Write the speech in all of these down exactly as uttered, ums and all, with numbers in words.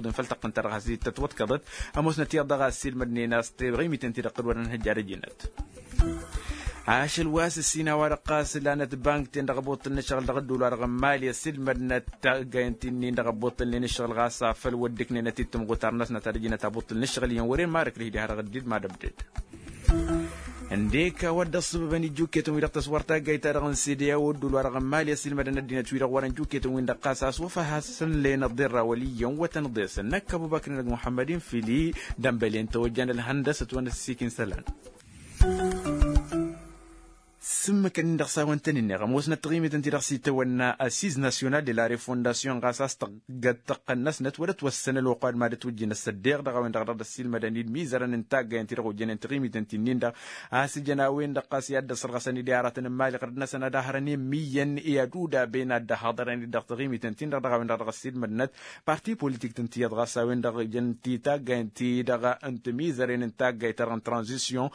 s-iwǝḍǝn făll-tăqqǝnt-ta-dăɣ has-ittăt wăḍkăḍăt. Ămoosnăt iyyăḍ dăɣ-ass ilmădnen a-s teɣimiten-ti-dăɣ tǝdwădăn hăjjar ăjǝnăt. Ašăl wa s-ǝssin a-wa-dăɣ ɣas lanăt bankten dăɣ-abuṭṭǝl n-ǝššăɣǝl dăɣ-ădduul-wa-dăɣ n-mali ăsilmădnăt taggayen ti-nin-dăɣ abuṭṭǝlnen ǝššăɣǝl ɣas afăl wădda ǝknenăt-dd timɣutar-năsnăt ad-ăjǝnăt abuṭṭǝl n-ǝššăɣǝl iyyăn wăren marăk d-hi-di harăɣ dd-mad-ăbded. Ǝndek a-wa dd-ăṣṣăbăbăn ijjukketăn-wi-dăɣ tăswăr taggayt-ta-dăɣ n-sede a-wa ădduul-wa-dăɣ n-mali ăsilmădăn ăddinăt-wi-dăɣ wărăn jukketăn-win-dăɣ ɣas a-s wăfa hasăn-len ăḍirra wăl' iyyăn wătăn ḍesăn năkk ăbubăkr n-edăgg muḥămmăd-in fili. Dănbălen tawăjjan ălhăndăsăt wa n-ăssiik n-isălan. S-ǝmmǝkăn-in-dăɣ s-a-wăn tăn-ǝnneɣ ămoosnăt taɣimiten-ti-dăɣ s-itawănna assiz nasyonal de la refondasyon ɣas a-s tăgg-tăqqăn-năsnăt wăr ătwăssăn ălwăqq wa d-mad-ătwǝjjǝn ăssăddeɣ dăɣ-a-wen-dăɣ dăr-ăsilmădăn-dd mizărăn n-taggayen-ti-dăɣ ojjănen taɣimiten ti-nin-dăɣ a-s ǝjăn a-wen-dăɣ ɣas i-ad-dd-ăṣṣărɣăsăn-dd i-aratăn n-mali ɣărăt-năsăn ad-ahărăn i-ǝmmǝyyăn i-ad-udaben ad-dd-ăhhăḍărăn-dd dăɣ-taɣimiten-tin-dăɣ dăɣ-a-wen-dăɣ dăɣ-ăsilmădnăt. Parti politik-tăn tiyyăḍ ɣas a-wen-dăɣ ǝjăn-t i-taggayen-ti-dăɣ n-timizăren n-taggayt-ta-dăɣ n-tranzisyon.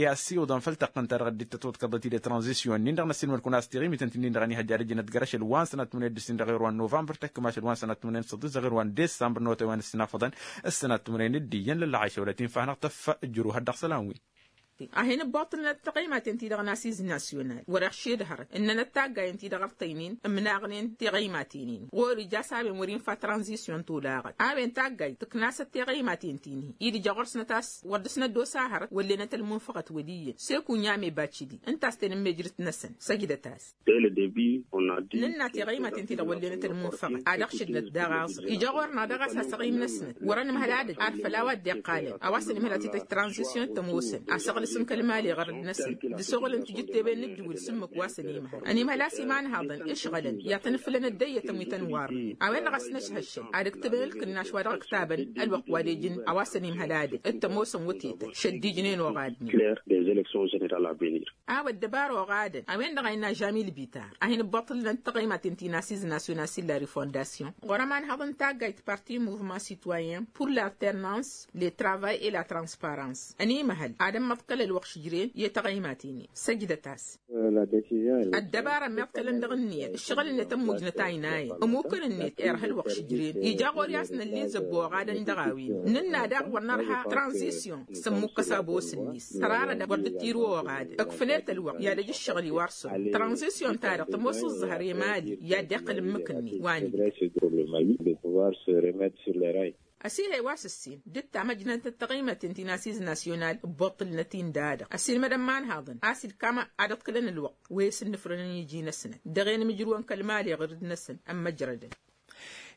I-ăssiwǝḍăn făll-tăqqǝnt-ta-dăɣ dd-tătwăḍkăḍăt-dd tranzisyon-nin-dăɣ n-ăssiilmăd-kăwăn a-s tiɣimiten-ti-nin-dăɣ ănihăjja ad-ǝjǝnăt găr ašăl wa n-sănat tǝmnen d-ǝssin dăɣ-ero wa n-novămbăr tăkk ma ašăl wa n-sănat tǝmnen d-săḍis dăɣ-ero wa n-desămbăr n-otay wa n-ǝssin afăḍăn. Ǝssănat tǝmnen d-iyyăn lălla ašăwălăt infa hanăɣ-tăffăjjăru hăddăɣ sălan-wi. A hin-ǝbboṭălnăt taɣăymaten-ti-dăɣ n-asiz nasyonal wăr-iɣšed hărăt ǝnnănăt taggayen-ti-dăɣ ărtăynen ǝmnaɣnen tiɣăymaten-in ɣur-ija s-a-wen wăr-infa tranzisyon tolaɣăt a-wen taggayt tǝknasăt tiɣăymaten-ti-nihi-i d-ija ɣur-snăt a-s wăr dăr-snăt d-osa hărăt wăllenăt ălmunfăɣăt wăl' iyyăn seku n-yame bacidi ǝnta a-s ten-ǝmmejrǝt-năsăn. Săjdăt-as. Nǝnna tiɣăymaten-ti-dăɣ wăllenăt ălmunfăɣăt ad-ăɣšǝdnăt daɣ aẓrǝf ija ɣur-năɣ daɣ a-s asăɣim-năsnăt wăr-ănǝmhăl ad-ăj ar făll-a-wa dd-iqqalăn a-wa s-ănimhăl ad-t-tăj tranzisyon tămoosăn asăɣlǝsăm kăl-mali ɣărăd-năsăn d-asoɣǝl n-tijǝtteben n-ǝddǝwǝl s-ǝmmǝk wa s-ănimhăl ănimhăl a-s imanhaḍăn ǝšɣălăn i-ad-tăn-ǝflănăt d-eyyătăn wi tăn-warrănen a-wen-dăɣ a-s năšhăššăn ad-ǝktǝbăn ǝlkǝnnaš wa dăɣ-ǝktabăn ălwăqq wa d-ejǝn a-wa s-ănimhăl ad-ǝj d-tămoosăn wătetăn šăddijnen oɣadnen. A-wa ăddăbar oɣadăn a-wen-dăɣ a innă žamil bitar a hin-ǝbbaṭǝlnăt taɣăymaten ti n-asiz nasyonal s-illa refondasyon ɣur-ămanhăḍ n-taggayt parti muvman sitwayen pur l'alternans le travay et la transparans ănimăhăl ad-ămmăḍkăl ălwăqq šǝjren i-taɣăymaten-in. Săjdăt-as. Ăddăbara ămmiḍkălăn dăɣ-ǝnniyăt ǝššăɣǝl-net ămmujnăt aynayen ămukăn-net irha ălwăqq šǝjren ija ɣur-i a-s năllizăb oɣadăn dăɣ-a-wen. Nǝnna daɣ wăr nărha tranzisyon s-ămmukkăs abos-net tărarăd wăr dd-tiru oɣadăn ǝkfǝlet ălwăqq i-ad-ăj ǝššăɣǝl-i wa ărsăɣ. Tranzisyon-ta-dăɣ tămoos ǝẓẓăhăr i-mali i-ad-dd-iqqǝl ǝmmǝk-net wa n-ǝbdăd. Ăsihăy wa s-ǝssin d-ǝttam ăjnătnăt taɣimăten ti n-asiz nasyonal ǝbbuṭṭǝlnăt-in da-dăɣ ăssiilmădăn imanhaḍăn a-s ǝlkam ad-ǝḍkǝlăn ălwăqq wi s-ǝnnǝfrănăn iji-năsnăt dăɣ-e n-imǝjrǝwăn kăl-mali ɣǝrǝd-năsăn. Ămmăjrădăn.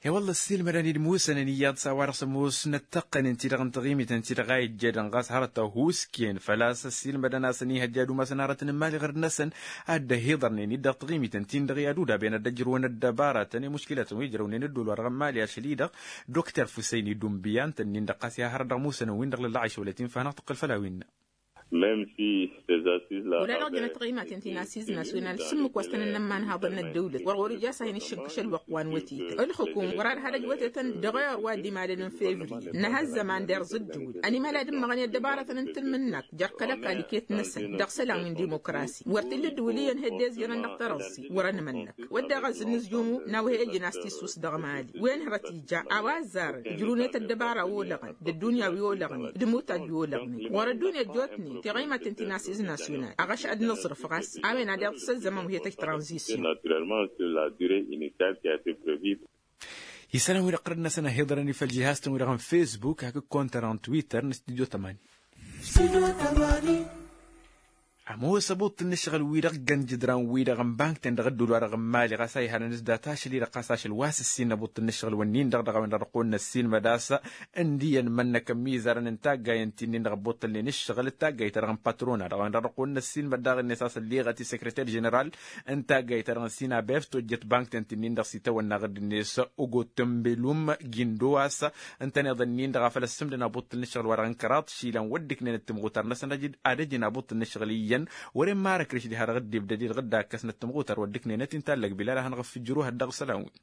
I-wălla ăssiilmădăn-dd musănăn iyyăḍ s-a-wa-dăɣ s-ămoosnăt tăqqănen-ti-dăɣ n-taɣimiten-ti-dăɣ a ijjădăn ɣas hărăt ăhuusken făl-a-s ăssiilmădăn a-s ănihăjja ad-umasăn aratăn n-imali ɣǝrǝd-năsăn ad-dd-ăhiḍărnen-dd dăɣ-taɣimiten-ti-dăɣ i-ad-udaben ad-dd-ăjrǝwăn ăddăbaratăn i-muškilătăn wi ǝjrăwnen ădduul wa dăɣ-n mali ašăl-i-dăɣ. Dokter fusăyni dumbiya ǝntănnin-dăɣ ɣas i-ad-hărăt dăɣ-musănăn-win-dăɣ lălla ašăwălăt infa hanăɣ-tǝqqǝl făll-a-wen-năɣ. Wăla dăɣ-jănăt taɣimaten ti n-asiz nasyonal s-ǝmmǝk wa s-tăn-ănnămmanhaḍăn n-ăddăwlăt wăr ɣur-ija a-s a hin-iššǝnkǝš ălwăqq wa n-wătetăn ǝlxǝkum wăr-ad-had-ăj wătetăn dăɣ-ewăr wa dd-imalăn n-fevriye. Năha ăzzăman d-irẓ ǝddǝwǝl ănimhăl ad-ǝmmăɣăn i-ăddăbaratăn n-tǝlmǝnnakt jer-kăl-ăkall iket-năsăn dăɣ-isălan wi n-dimokrasi wăr t-illa ǝddǝwǝl iyyăn heddezjărăn dăɣ-tărăẓẓi wăr-ănmănnăk. Wădden ɣas d-inǝzjum n-a-wa he-ijăn a-s tissus dăɣ-mali wen hărăt ija a-wa ăzzarăn ǝjrǝwnet ăddăbara olăɣăn d-ăddunya wi olăɣnen d-imutaj wi olăɣnen ɣur-ăddunya ăjjootnen tiɣăymaten ti n-asiz nasyonal. Aɣăš ad-nǝẓrǝf ɣas a-wen ad-iḍǝs ăzzăman wi he-tăj tranzisyon. Isălan-wi-dăɣ ɣărăd-năsăn ăhiḍărăn-i făll-jihaz-tăn-wi-dăɣ n-fesbuk hakd kontăra n-twitter n-studyo tămani. Ămoos abuṭṭǝl n-ǝššăɣǝl-wi-dăɣ ǝggăn jǝdran-wi-dăɣ n-bank-ten dăɣ-ădduul-wa-dăɣ n-mali ɣas a ihanăn s-dat ašăl-i-dăɣ ɣas ašăl wa s-ǝssin abuṭṭǝl n-ǝššăɣǝl-wǝnnin-dăɣ dăɣ-a-wen-dăɣ dăɣ-kăwăn-năssin mădas. Ǝndi i-ănmănnăk ămizărăn n-taggayăn ti-nin-dăɣ ăbbuṭṭălnen ǝššăɣǝl d-taggayt-ta-dăɣ n-patrona dăɣ-a-wen-dăɣ dăɣ-kăwăn-năssin măddaɣ-net a-s ălleɣăt i-sekreter ženeral n-taggayt-ta-dăɣ n-sinabef tojjăt bank-ten ti-nin-dăɣ s-itawănna ɣǝdd-net. Ogottămbelum gindo a-s ǝntăneḍ-ǝnnin-dăɣ a făl ăssǝmdăn abuṭṭǝl n-ǝššăɣǝl-wa-dăɣ n-kăraḍ išilan wăr dd-ǝknenăt timɣutar-năsăn ad-ăj-in abuṭṭǝl n-ǝššăɣǝl iyyăn. Wăren marăkrǝš diha-dăɣ dd-ibdăd-i-dăɣ dd-akkăsnăt timɣutar wa dd-ǝknenăt inta ăllăg bilal a hanăɣ-ăffǝjjăru hăddaɣ isălan-win.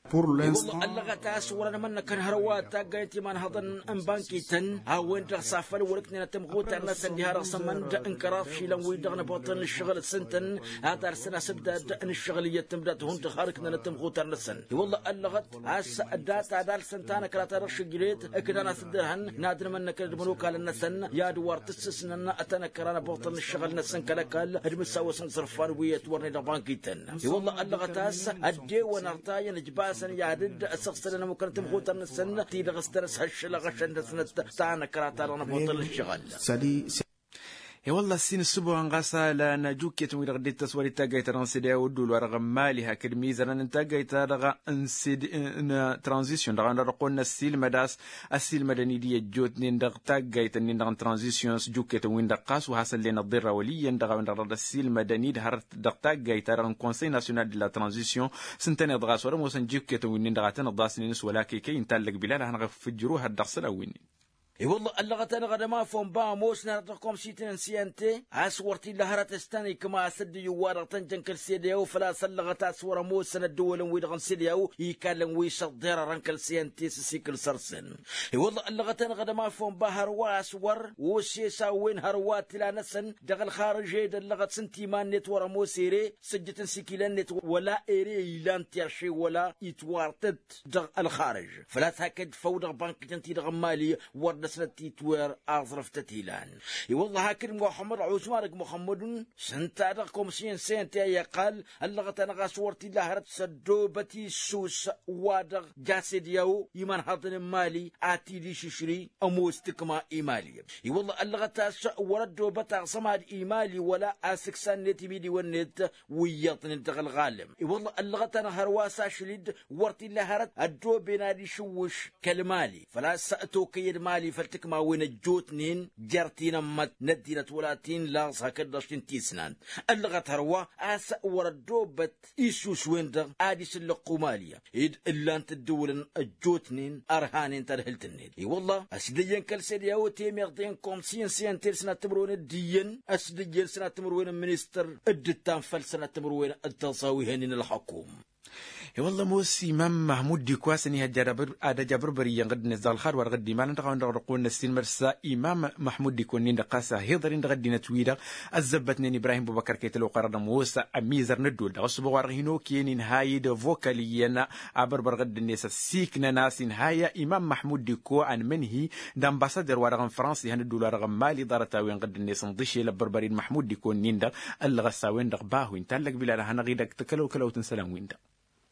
I-wălla ăllăɣăt a-s wăr-ănmănnăkăn hărwa taggayt imanhăḍăn n-bankităn a-wen-dăɣ s-afăl wăr-ǝknenăt timɣutar-năsăn diha-dăɣ s-ămănd n-kăraḍ išilan-wi-dăɣ n-abuṭṭǝl n-ǝššăɣǝl s-ǝntăn ad-arsăn asǝbdad n-ǝššăɣǝl iyyăt tǝmdat hundăɣ har ǝknenăt timɣutar-năsăn. I-wălla ăllăɣăt a-s data d-alsăn tanăkra ta dăɣ-šǝjret ǝknan asǝddărhăn n-ad-nǝmănnăkăn d-imănokalăn-năsăn i-ad-wăr tǝssǝsnăn tanăkra n-abuṭṭăl n-ǝššăɣǝl-năsăn kăl-ăkall d-imǝssawăsăn iẓrǝfan wi ătwărnen dăɣ-bankităn. I-wălla ăllăɣăt a-s ăddewăn ărtayăn ǝjbasăn i-ad-dd-ăssăɣsălăn ămmukăn timxutăn-năsăn ti-dăɣ s-tăn-ăshăššăl aɣăšăn-năsnăt tanăkra ta dăɣ-năbuṭăl ǝššăɣǝl. I-wălla ăssin ǝssǝboɣăn ɣas a lan jukketăn wi-dăɣ dd-ittăs wăr-ittăggăy-ta-dăɣ n-sede a-wa ădduul-wa-dăɣ n-mali hakd mizărăn n-taggayt-ta-dăɣ n-tranzisyon dăɣ-a-wen-dăɣ dăɣ-kăwăn-năssilmăd a-s ăssiilmădăn-dd i-ăjjootnen dăɣ-taggayt-nin-dăɣ n-tranzisyon s-jukketăn-win-dăɣ ɣas wa hasăn-len ăḍḍirra wăl' iyyăn dăɣ-a-wen-dăɣ dăɣ-dd-ăssiilmădăn-dd hărăt dăɣ-taggayt-ta-dăɣ n-konsăy nasyonal d-la tranzisyon s-ǝntăneḍ ɣas wăr-ămoosăn jukketăn-win-nin-dăɣ a tăn-ăḍḍasnen s-wăla kăy-kăy inta ăllăg bilal a hanăɣ-ăffǝjjǝru hăt dăɣ-isălan-win-in. I-wălla ăllăɣăt-anăɣ ad-ămafon ba ămoosnen dăɣ-komsităn n-siyante a-s wăr t-illa hărăt s-tăn-ikma a-s ăddǝyǝw-wa-dăɣ tăn-jăn kăl-sede a-wa făl-a-s ăllăɣăt a-s wăr-ămoosăn ăddăwălăn-wi-dăɣ n-sede a-wa ikallăn wi s-ăḍḍerărăn kăl-siyante s-asikǝl săr-săn. I-wălla ăllăɣăt-anăɣ ad-ămafon ba hărwa a-s wăr osesawen hărwa tila-năsăn dăɣ-ălxarăže d-ăllăɣăt s-ǝnta iman-net wăr-ămoos ere sǝjjǝt n-sikilan-net wăla ere ilan tiɣše wăla itwartăt dăɣ-ălxarăj. Făl-a-s hakd făw dăɣ-bankităn-ti-dăɣ n-mali wăr dăr-snăt titwer aẓrǝf tăt-ilan. I-wălla hakd muxămmăd ɣuzma dăgg-muxămmădun s-ǝnta dăɣ-komsiyăn sente a iqqal ăllăɣăt-anăɣ a-s wăr t-illa hărăt s-ăddoobăt issus wa-dăɣ ja sediyaw imanhăḍăn n-mali a t-dd-išǝšri ămoos tǝkma i-mali. I-wălla ăllăɣăt a-s wăr-ăddoobăt aẓămad i-mali wăla asǝksa-net imidiwăn-net wi iyyăḍnen dăɣ-ălɣalăm. I-wălla ăllăɣăt-anăɣ hărwa s-ašăl-dd wăr t-illa hărăt ăddooben ad-išǝwwǝš kăl-mali făl-a-s tokăyăd mali făll-tǝkmawen ăjjootnen jer-tinămmăt n-ăddinăt wăla ti n-laẓ hakd-dăɣ šin tisnant. Ăllăɣăt hărwa a-s wăr-ăddoobăt issus-wen-dăɣ ad-isǝllăqqu mali ed ǝllan-t ǝddǝwǝlăn ăjjootnen ărhanen tadhǝlt-net. I-wălla ăsdǝyyăn kăl-sede a-wa temeḍe n-komsiyăn s-iyyăn telsǝnat timǝrwen d-iyyăn ăsdǝyyăn sănat timǝrwen n-ministăr dd-ǝttan făll-sănat timǝrwen d-taẓawihen-in ălxăkum. I-wălla ămoos imam mahmud diko a-s ănihăjja ad-ăj abărbăr iyyăn ɣǝdd-net dăɣ-ălxad wa dăɣ-dd-imalăn dăɣ-a-wen-dăɣ dăɣ-kăwăn-năssin măr s-imam mahmud diko-nin-dăɣ ɣas a hi-iḍăr-in dăɣ-ăddinăt-wi-dăɣ ăzzăbbătnen ibrahim bubăkăr kăy-tălwăqq-wa-dăɣ d-ămoos ămizăr n-ădduul dăɣ-ăssubăɣ wa dăɣ-hin-okăyăn inhayǝd ăvokal iyyăn abărbăr ɣǝdd-net ăssiiknăn a-s inhayya imam mahmud diko ănmǝnhi d-ambasader-wa-dăɣ n-frans ihăn ădduul-wa-dăɣ n-mali ḍarăt-a-wen ɣǝdd-net ǝnḍǝšel ăbbărbăr-in mahmud diko-nin-dăɣ. Ăllăɣăt s-a-wen-dăɣ bahu inta ăllăg bilal a hanăɣ-idăgg tăkălăw-kălăwt n-isălan-win-dăɣ.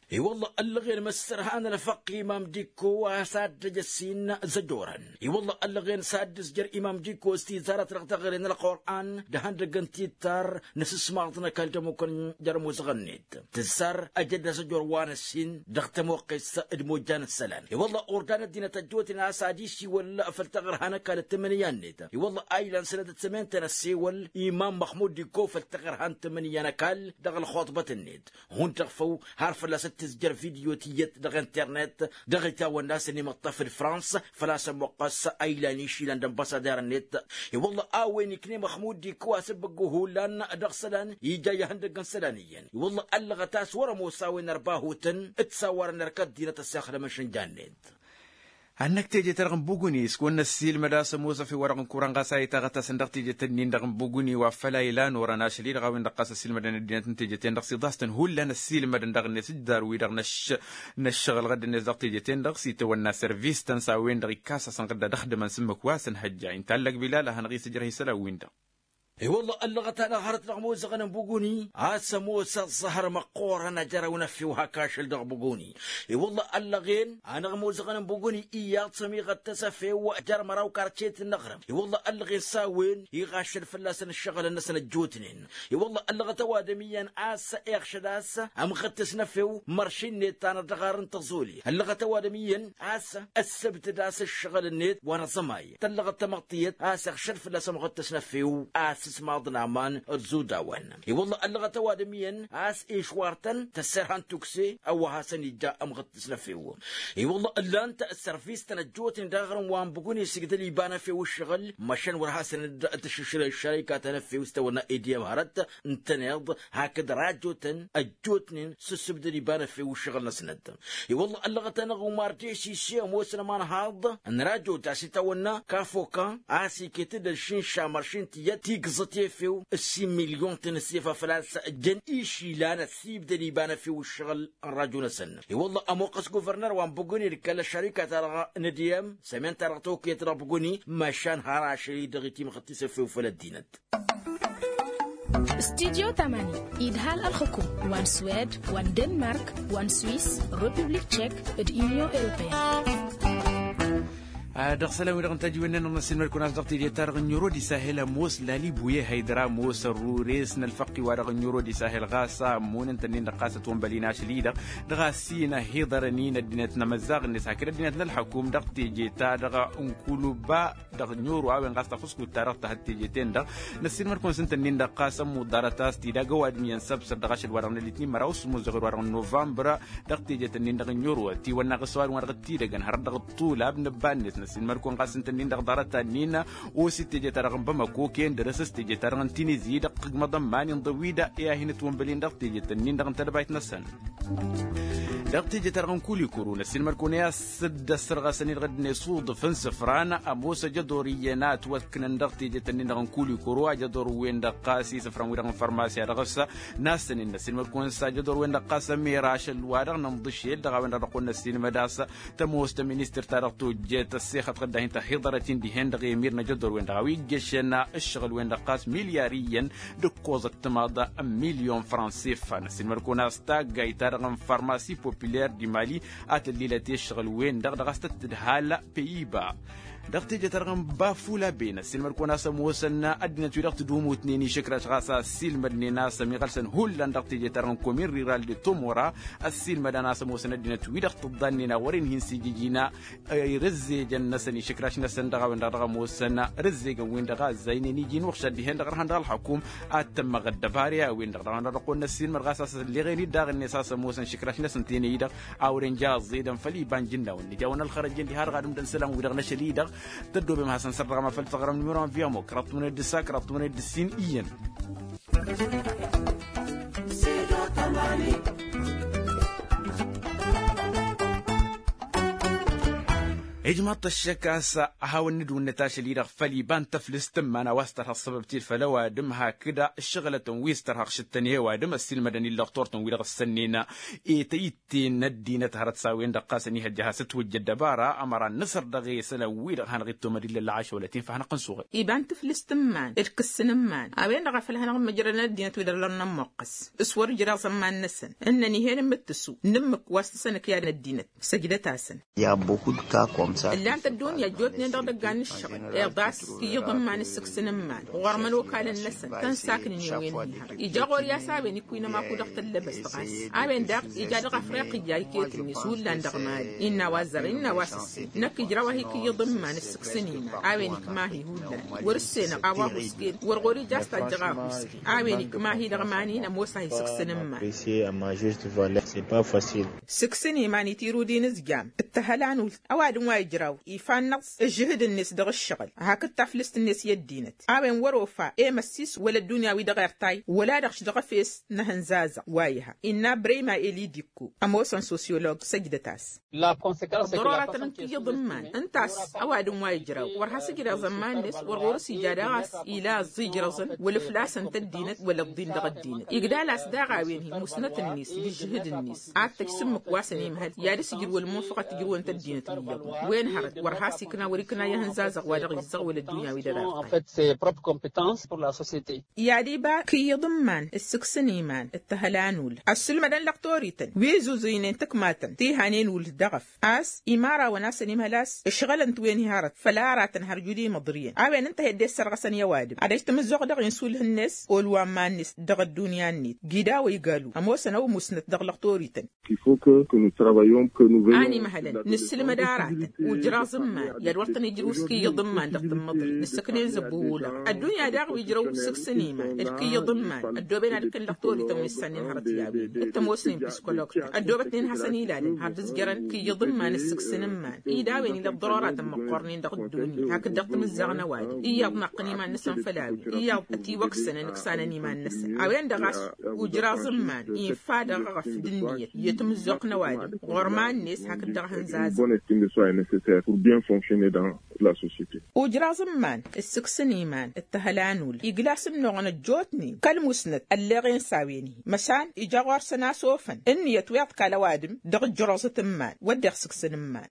I-wălla ăllăɣen măssărhan ălfăqq imam dikko a-s ad-dd-ăj ăssin zăjorăn. I-wălla ăllăɣen s-ad-dd-ǝzjăr imam dikko s-tizarăt dăɣ-teɣăre n-ălqur'an d-ehăndăgg n-tittar n-asǝsmaḍ n-ăkall d-ămmukăn jer-ămuzăɣ-net tǝssar ăj ăddăs ăjor wa n-ăssin dăɣ-tămoqqes d-imojjan n-isălan. I-wălla ordan ăddinăt ăjjootnen a-s ad-isiwăl făll-taɣărha n-ăkall d-tǝmmǝnǝya-net. I-wălla a ilan sănădăt sămen-tăn ăssewăl imam măxmud dikko făll-taɣărha n-tǝmmǝnǝya n-ăkall dăɣ-ălxuṭbăt-net. Hundăɣ făw har fălla-s d-tǝzjăr vidyo tiyyăt dăɣ-internet dăɣ-itawănna a-s ănimăṭṭăf d-frans făl-a-s ămmuqqăs a ilan išilan d-ănbăṣader-net. I-wălla a-wen ikne măxmud dikko asǝbbǝggu hullan dăɣ-isălan ija i-ihăndăgg n-isălan iyyăn. I-wălla ăllăɣăt a-s wăr-ămoos a-wen ărbahutăn d-sawărăn erk ăddinăt ăssexdămăn šǝnja-net. Ad-năkk teje-ta-dăɣ n-buguni s-kăwăn-năssiilmăd a-s ămoos efew-wa-dăɣ n-kuran ɣas a itaɣăt-asăn dăɣ-tejet-nin-dăɣ n-buguni wa făl a ilan orăn ašăl-i-dăɣ a-wen-dăɣ ɣas ăssiilmădăn ăddinăt n-tejet-en-dăɣ s-iḍas-tăn hullan ăssiilmădăn dăɣ-net ǝjjar-wi-dăɣ n-ăššăɣǝl ɣǝdd-net dăɣ-tejet-en-dăɣ s-itawănna servis-tăn s-a-wen-dăɣ ikkasăsăn ɣǝdda dăɣ-dămăn s-ǝmmǝk wa s-ănhăjja inta ăllăg bilal a hanăɣ-isǝjrăh isălan-win-dăɣ. I-wălla ăllăɣăt-anăɣ hărăt dăɣ-imozăɣăn n-buguni a-s ămoos ăẓẓăhăr măqqoorăn a jărăw n-efew hak ašăl dăɣ-buguni. I-wălla ăllăɣen anăɣ-imozăɣăn n-buguni iyyăḍ sămiɣăt-tăs efew jer-măraw karcet n-aɣrǝm. I-wălla ăllăɣen s-a-wen iɣašăl fălla-săn ǝššăɣǝlăn-năsăn ăjjootnen. I-wălla ăllăɣăt ăwadǝm iyyăn a-s iɣšăd a-s ămɣǝttǝs n-efew mărši-net tanăt dăɣ-arr n-tăẓoli ăllăɣăt ăwadǝm iyyăn a-s ăssăbdăd a-s ǝššăɣǝl-net wa n-aẓămay. Tăllăɣăt tamăḍt tiyyăt a-s iɣšăd fălla-s ămɣǝttǝs n-efew a-s s-maḍna aman d-zudawăn. I-wălla ăllăɣăt ăwadǝm iyyăn a-s išwar-tăn tăsserhăn tukse a-wa hasăn-ija ămɣǝttǝs n-efew. I-wălla ǝllan-t ăssărfis-tăn ăjjootnen dăɣ-aɣrǝm wa n-bǝgun isǝgdăl iba n-efew ǝššăɣǝl măšan wăr hasăn-dd-tǝššǝšrǝy ăššărăyka ta n-efew s-tawănna ediyăm hărăt ǝntăneḍ hakd rajotăn ăjjootnen s-ǝssǝbdăd iba n-efew ǝššăɣǝl-năsnăt. I-wălla ăllăɣăt-anăɣ umar desi s-e-ămoosăn aman haḍ n-rajot a-s itawănna kafoka a-s iket-dd ălšinša măršin tiyyăt tigẓăt efew. S-imilyon-ten s-efa făl-a-s jăn išilan ăssibdăd iba n-efew ǝššăɣǝl n-rajo-năsăn. I-wălla ămoqqăs guvărnăr wa n-buguni d-kăl-ăššărika-ta-dăɣ n-ediyăm sămen-ta-dăɣ tokăyăt dăɣ-buguni măšan har ašăl-i-dăɣ itimɣăt-t s-efew făll-ăddinăt. Studyo tamani idhal ălxǝkum wa n-swed wa n-denmark wa n-swis, republik tšek d-inyon europeyăn. Dăɣ-isălan-wi-dăɣ n-tajǝwen-nănăɣ n-ăssiilmăd-kăwăn a-s dăɣ-teje-ta-dăɣ n-euro d-isahel ămoos lali buye haydăr ămoos ărrures n-ălfăqq-i-wa-dăɣ n-euro d-isahel ɣas ămmun ǝnta-ǝnnin-dăɣ ɣas ătwănbăl-in ašăl-i-dăɣ dăɣ-asin ăhiḍărăn-in ăddinăt n-amăzzaɣ-net hakd ăddinăt n-ălxăkum dăɣ-teje-ta-dăɣ n-kuluba dăɣ-noro a-wen ɣas tafǝskut-ta-dăɣ tahăt teje-ten-dăɣ. Năssiilmăd-kăwăn s-ǝnta-ǝnnin-dăɣ ɣas ămmuḍarăt a-s t-dd-aga ăwadǝm iyyăn săbsăr dăɣ-ašăl-wa-dăɣ n-alitnin măraw s-imuzăɣ-dd-wa-dăɣ n-novămbăr. Dăɣ-tejet-ǝnnin-dăɣ n-noro ătiwănna ɣǝs ăwadǝm wa dăɣ-t-idăgăn hărăt dăɣ-ăṭṭulab n-ǝbba-net năssiilmăd-kăwăn ɣas ǝnta-ǝnnin-dăɣ ḍarăt-annin. Osi teje-ta-dăɣ n-bamăko kăyăn dăr-s s-teje-ta-dăɣ n-tinizi dăɣ-tǝggmăḍ ămman inḍăw-wi-dăɣ i-ad-hin-ǝtwănbăl-in dăɣ-tejet-ǝnnin-dăɣ n-tadbayt-năsăn. Dăɣ-teje-ta-dăɣ n-kulikuru năssiilmăd-kăwăn i-a-s dd-ăssărɣăsăn-i dăɣ-ăddinăy s-uḍǝf n-isǝfran ămoos ajăḍor iyyăn a ătwăkknăn dăɣ-tejet-ǝnnin-dăɣ n-kulikuru ajăḍor-wen-dăɣ ɣas isǝfran-wi-dăɣ n-fărmasya dăɣ-s. N-asăn-in năssiilmăd-kăwăn s-ajăḍor-wen-dăɣ ɣas ămera ašăl-wa-dăɣ n-inḍǝšel dăɣ-a-wen-dăɣ dăɣ-kăwăn năssiilmăd a-s tămoos ta ministăr-ta-dăɣ tojjet ăssexăt ɣǝdda hin-tăhiḍărăt-in dihen-dăɣ i-emir n-ajăḍor-wen-dăɣ a-wa iggăšăn ǝššăɣǝl-wen-dăɣ ɣas milyar iyyăn d-ǝkkoẓăt timaḍ n-milyon franc s-iffan ăssiilmăd-kăwăn a-s taggayt-ta-dăɣ n-farmasi populer di mali a tăllilăt i-ǝššăɣǝl-wen-dăɣ dăɣ-a-s tăt-tǝdhal. Păyiba dăɣ-teje-ta-dăɣ n-bafula ben ăssiilmăd-kăwăn a-s ămoosăn ăddinăt-wi-dăɣ tǝdumutnen išǝkraš ɣas a ăssiilmădnen a-s ămiɣălsăn hullan dăɣ-teje-ta-dăɣ n-komin riral de tomora. Ăssiilmădăn a-s ămoosăn ăddinăt-wi-dăɣ tǝḍḍannen a wăren hin-sijǝjina irǝzzejăn-năsăn išǝkraš-năsăn dăɣ-a-wen-dăɣ dăɣ-ămoosăn rǝzzegăn-win-dăɣ a ăzzaynen iji n-uɣšad dihen-dăɣ ărhan dăɣ-ălxăkum. Ad-tămmăɣ ăddăbare a-wen-dăɣ dăɣ-a-wen-dăɣ dăɣ-kăwăn-năssiilmăd ɣas a-s ălleɣen-dd daɣ-net a-s ămoosăn išǝkraš-năsăn tenăy-dăɣ a wăren ja ăẓẓedăn făll-iba n-ijǝnnawăn nǝja-wăn ălxărăj-en diha dăɣ-ad-ǝmdăn isălan-wi-dăɣ n-ašăl-i-dăɣ. Tăddobem ad-hasăn-săr dăɣ-amafăl taɣrăm număro n-viamo kăraḍ tămănăy d-ǝssa kăraḍ tămănăy d-ǝssin iyyăn. Ijmaḍ-t ăššăk a-s a hawăn-nǝdwǝnnăt ašăl-i-dăɣ făll-iba n-tăflǝst n-iman a-wa s-tărha ăṣṣăbăb-t-dd făll-ăwadǝm hakd ǝššăɣǝlătăn wi s-tărha ăɣšǝttăn i-ăwadǝm ăssiilmădăn illăɣ turtăn-wi-dăɣ ǝssănnenă. Etăyt-ten n-ăddinăt hărăt s-a-wen-dăɣ ɣas ănihăjja a has-ătwăjja ăddăbara ămăra n-nǝsăr dăɣ-e isălan-wi-dăɣ hanăɣ-ittomăd illa ălɣašăwălăt-in făll-hanăɣ-tăn-suɣǝl. Iba n-tǝflǝst n-iman d-kǝss n-iman a-wen-dăɣ a făl hanăɣ-măjrădăn ăddinăt-wi-dăɣ lăr n-ămmuqqăs s-wăr ǝjraẓ ămman-năsăn. Ǝnnăn ih'-en ǝmmǝttǝsu n-ǝmmǝk wa s-tǝsănăkyad ăddinăt. Săjdăt-asăn. Ǝllan-t ăddunya ăjjootnen dăɣ-idăggan n-ǝššăɣǝl iḍas. Kǝyyǝḍ n-iman d-sǝks n-iman ɣur-măn okal-năsăn tăn-saknǝn i-wen-hi-hărăt ija ɣur-i a-s a-wen ikwǝynăm akud dăɣ-tăllăbăst ɣas a-wen daɣ ija dăɣ-afriqǝyya iket-net hullan dăɣ-mali. Innă a-wa zărăn innă a-wa s-ǝssin năkk ijraw-ahi kǝyyǝḍ n-iman d-sǝks n-iman a-wen ikma-hi hullan. Wăr-ǝssenăɣ a-wa ăhuusken wăr ɣur-ija a-s tajjăɣ a ăhuusken a-wen ikma-hi dăɣ-iman-in ămoos-ahi sǝks n-iman. Sǝks n-iman itirud-in ǝzjam d-tăhăla n-ult ăwadǝm wa ijraw ifannăẓ ǝžžǝhǝd-net dăɣ-ǝššăɣǝl hakd taflǝst-net i-ăddinăt. A-wen wăr-ofa i-măssis wăla ăddunya-wi-dăɣ irtay wăla-dăɣ š-dăɣ-efes n-ehăn zazăɣ wa iha innă brăyma elidikko ămoosăn sosyolog săjdăt-as. Ăḍḍărorătăn n-kǝyyǝḍ n-iman ǝnta a-s ăwadǝm wa ijraw wăr has-ǝjreẓ ămman-net wăr ɣur-s ija daɣ a-s ila ăẓẓijrăẓăn wăla fălla-săn tăddinăt wăla ăḍḍin dăɣ-ăddinăt igdal-as daɣ a-wen-hi musnăt-net d-ǝžžǝhǝd-net. Ad-tăj s-ǝmmǝk wa săn imhăl i-ad-dăɣ-s ijrǝwăn munfăɣăt tǝjrǝwăn-t ăddinăt n-iyyăḍ. Wen hărăt wăr has-ikna wăr-ikna i-ihǝnzazăɣ wa dăɣ-izzăɣwăl ăddunya wi d-ăra. I-ad-iba kǝyyǝḍ n-iman d-sǝksǝn iman d-tăhăla n-ul ăssǝlmădăn lăɣ torităn wi zuzuynen tǝkmatăn ti hanen ul dăɣ-ăf. A-s imărawăn a-s ănimhăl a-s ǝšɣălăn-t wen-hi hărăt făll-aratăn har jud imǝḍriyăn a-wen ǝnta a hi-dd-issărɣăsăn i-ăwadǝm ad-ăj tamǝzzuɣt dăɣ-insulh-net olwa n-iman-net dăɣ-ăddunya-net. Gidawăy galu ămoosăn ăwmusnăt dăɣ-lăɣ torităn. Animhălăn nǝssǝlmăd aratăn ujraẓ n-iman i-ad-wăr tăn-ijrǝw s-kǝyyǝḍ n-iman dăɣ-tǝmmǝḍri nǝssǝknen zăbbu ulăɣ. Ăddunya daɣ wi ǝjrăw s-sǝksǝn iman d-kǝyyǝḍ n-iman. Ăddooben ad-ǝkkǝn lăɣ torităn wi s-sănnen hărăt i-a-wen d-tămoosnen psikologtăn ăddoobătnen hasăn-ilalăn har d-ǝzjărăn kǝyyǝḍ n-iman d-sǝksǝn n-iman. I-dawăyăn ilăḍḍărăratăn măqqornen dăɣ-ăddunya hakd dăɣ-timǝzzaɣ n-ăwadǝm iyyăḍ naqqăn iman-năsăn făll-a-wen iyyăḍ ătiwăksănăn ǝksanăn iman-năsăn a-wen-dăɣ a-s ujraẓ n-iman infa dăɣ-eɣăf d-ǝnniyăt i-timǝzzuɣt n-ăwadǝm ɣur-iman-net hakd dăɣ-ihǝnzazăn. Bonne estime de soi est necessaire pour bien fonctionner dans la societe. Ujraẓ n-iman d-sǝksǝn iman d-tăhăla n-ul igla s-ǝnnuɣăn ăjjootnen kăl-musnăt ălleɣen s-a-wen-hi măšan ija ɣur-săn a-s ofăn ǝnniyăt wi iḍkal ăwadǝm dăɣ-ǝjjăroẓăt n-iman wădden sǝksǝn n-iman.